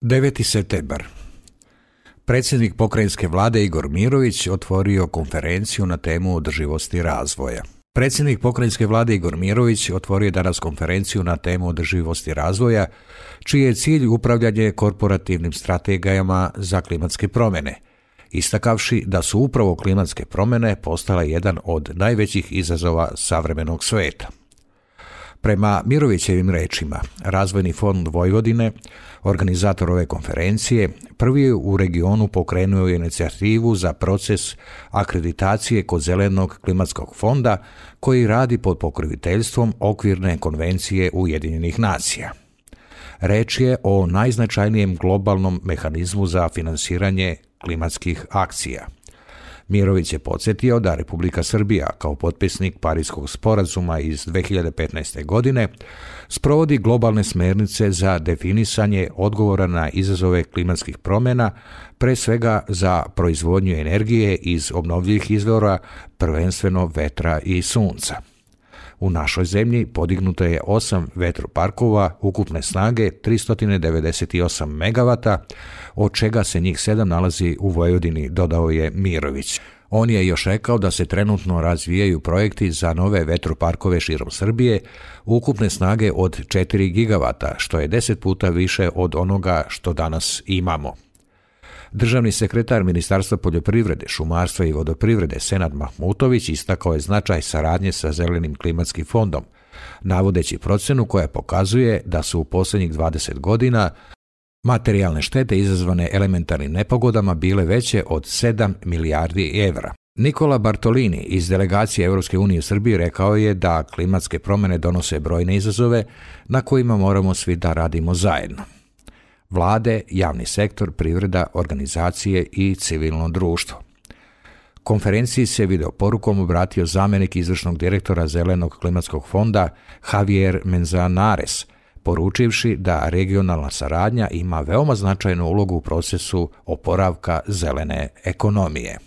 9. septembar. Predsjednik pokrajinske vlade Igor Mirović otvorio konferenciju na temu održivosti razvoja. Predsjednik pokrajinske vlade Igor Mirović otvorio danas konferenciju na temu održivosti razvoja, čiji je cilj upravljanje korporativnim strategijama za klimatske promjene, istakavši da su upravo klimatske promjene postale jedan od najvećih izazova savremenog svijeta. Prema Mirovićevim rečima, Razvojni fond Vojvodine, organizator ove konferencije, prvi u regionu pokrenuo je inicijativu za proces akreditacije kod Zelenog klimatskog fonda koji radi pod pokroviteljstvom Okvirne konvencije Ujedinjenih nacija. Reč je o najznačajnijem globalnom mehanizmu za finansiranje klimatskih akcija. Mirović je podsjetio da Republika Srbija, kao potpisnik Pariškog sporazuma iz 2015. godine, sprovodi globalne smjernice za definisanje odgovora na izazove klimatskih promjena, pre svega za proizvodnju energije iz obnovljivih izvora, prvenstveno vetra i sunca. U našoj zemlji podignuto je 8 vetroparkova ukupne snage 398 MW, od čega se njih 7 nalazi u Vojvodini, dodao je Mirović. On je još rekao da se trenutno razvijaju projekti za nove vetroparkove širom Srbije ukupne snage od 4 GW, što je 10 puta više od onoga što danas imamo. Državni sekretar Ministarstva poljoprivrede, šumarstva i vodoprivrede Senad Mahmutović istakao je značaj saradnje sa Zelenim klimatskim fondom, navodeći procjenu koja pokazuje da su u posljednjih 20 godina materijalne štete izazvane elementarnim nepogodama bile veće od 7 milijardi evra. Nikola Bartolini iz delegacije Europske unije u Srbiji rekao je da klimatske promjene donose brojne izazove na kojima moramo svi da radimo zajedno. Vlade, javni sektor, privreda, organizacije i civilno društvo. Konferenciji se video porukom obratio zamjenik izvršnog direktora Zelenog klimatskog fonda Javier Manzanares, poručivši da regionalna saradnja ima veoma značajnu ulogu u procesu oporavka zelene ekonomije.